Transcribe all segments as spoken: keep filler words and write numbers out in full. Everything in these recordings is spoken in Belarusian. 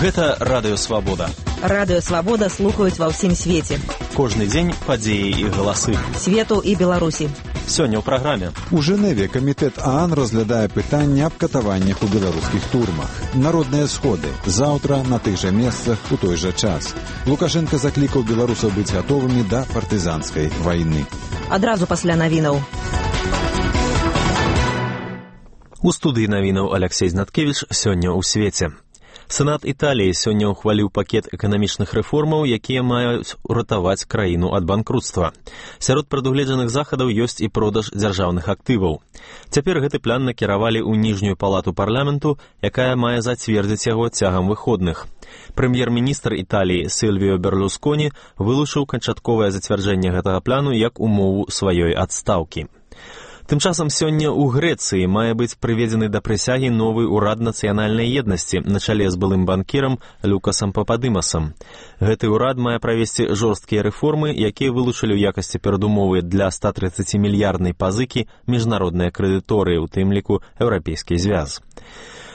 Гэта Радыё Свабода. Радыё Свабода слухаюць ва ўсім свеце. Кожны дзень падзеі і галасы. Свету і Беларусі. Сёння ў праграме. У Жэневе камітэт ААН разглядае пытанне аб катаваннях у беларускіх турмах. Народныя сходы. Заўтра на тых жа месцах у той жа час. Лукашенко заклікаў беларусаў быць гатовымі да партызанскай вайны. Адразу пасля навінаў. У студыі навінаў Аляксей Знаткевіч сёння ў свеце. Сенат Італіі сёння ўхваліў пакет эканамічных рэформаў, якія маюць уратаваць краіну ад банкрутства. Сярод прадугледжаных захадаў ёсць і продаж дзяржаўных актываў. Цяпер гэты план накіравалі ў ніжнюю палату парламенту, якая мае зацвердзіць яго цягам выходных. Прэм'ер-міністр Італіі Сільвіо Берлусконі вылучыў канчатковае зацвярджэнне гэтага плану як умову сваёй адстаўкі. Тым часам сёння ў Грэцыі мае быць прыведзены да прысягі новы ўрад нацыянальнай еднасці на чале з былым банкірам Люкасам Пападымасам. Гэты ўрад мае правесці жорсткія рэформы, якія вылучылі ў якасці перадумовы для ста трыццацімільярднай пазыкі міжнародныя крэдыторы, у тым ліку Еўрапейскі звяз.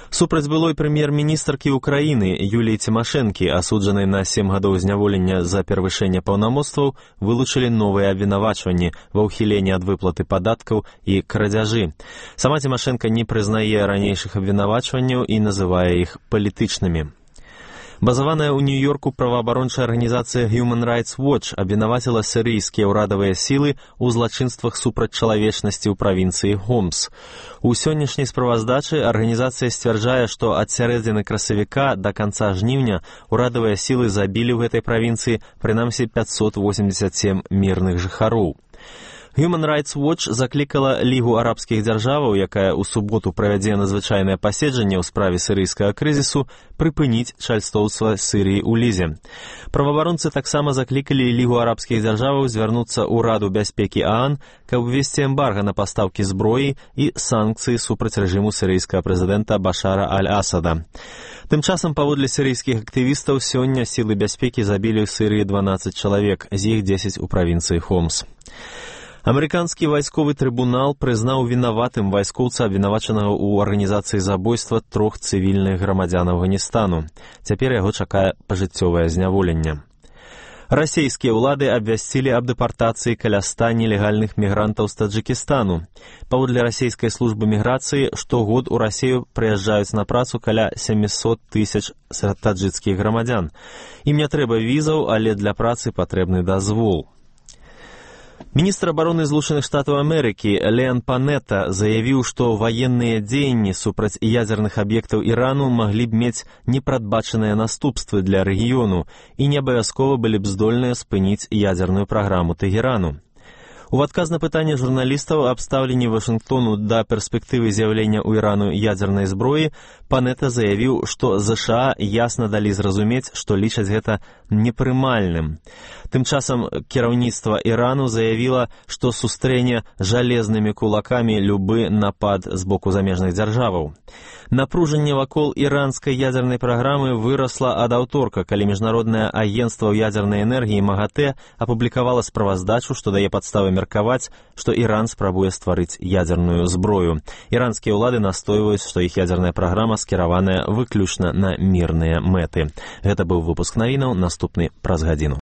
Супраць былой прэм'ер-міністркі Украіны Юліі Цімашэнкі, асуджанай на сем гадоў зняволення за перавышэнне паўнамоцтваў, вылучылі новыя абвінавачванні ва ўхіленні ад выплаты падаткаў і крадзяжы. Сама Цімашэнка не прызнае ранейшых абвінавачванняў і называе іх палітычнымі. Базаваная ў Нью-Йорку праваабарончая арганізацыя Human Rights Watch абвінаваціла сірыйскія ўрадавыя сілы ў злачынствах супраць чалавечнасці ў правінцыі Хомс. У сённяшняй справаздачы арганізацыя сцвярджае, што ад сярэдзіны красавіка да канца жніўня ўрадавыя сілы забілі ў гэтай правінцыі прынамсі пяцьсот восемьдесят семь мірных жыхароў. Human Rights Watch заклікала Лігу арабскіх дзяржаваў, якая ў суботу правядзе надзвычайнае паседжанне ў справе сірыйскага крызісу, прыпыніць чальстоўства Сірыі ў Лізе. Праваабаронцы таксама заклікалі Лігу арабскіх дзяржаваў звярнуцца ў Раду бяспекі ААН, каб увесці эмбарга на пастаўкі зброі і санкцыі супраць рэжыму сірыйскага прэзідэнта Башара аль-Асада. Тым часам, паводле сірыйскіх актывістаў, сёння сілы бяспекі забілі ў Сірыі дванаццаць чалавек, з іх дзесяць у правінцыі Хомс. Амерыканскі вайсковы трыбунал прызнаў вінаватым вайскоўца, абвінавачанага ў арганізацыі забойства трох цывільных грамадзян Афганістану. Цяпер яго чакае пажыццёвае зняволенне. Расійскія ўлады абвясцілі аб дэпартацыі каля ста нелегальных мігрантаў з Таджыкістану. Паводле расійскай службы міграцыі, штогод у Расію прыязджаюць на працу каля сямьсот тысяч таджыкскіх грамадзян. Ім не трэба візаў, але для працы патрэбны дазвол. Міністр абароны Злучаных Штатаў Амерыкі Леан Панета заявіў, што ваенныя дзеянні супраць ядзерных аб'ектаў Ірану маглі б мець непрадбачаныя наступствы для рэгіёну і не абавязкова былі б здольныя спыніць ядзерную праграму Тэгерану. У адказ на пытанне журналістаў аб стаўленні Вашынгтону да перспектывы з'яўлення ў Ірану ядзернай зброі, Панета заявіў, што ЗША ясна далі зразумець, што лічаць гэта непрымальным. Тым часам кіраўніцтва Ірану заявіла, што сустрэне жалезнымі кулакамі любы напад з боку замежных дзяржаваў. Напружанне вакол іранскай ядзернай праграмы вырасла ад аўторка, калі міжнароднае агенцтва ў ядзернай энергіі МАГАТЭ апублікавала справаздачу, што дае падставы меркаваць, што Іран спрабуе стварыць ядзерную зброю. Іранскія ўлады настойваюць, што іх ядзерная праграма скіраваная выключна на мірныя мэты. Гэта быў выпуск навінаў, наступны праз гадзіну.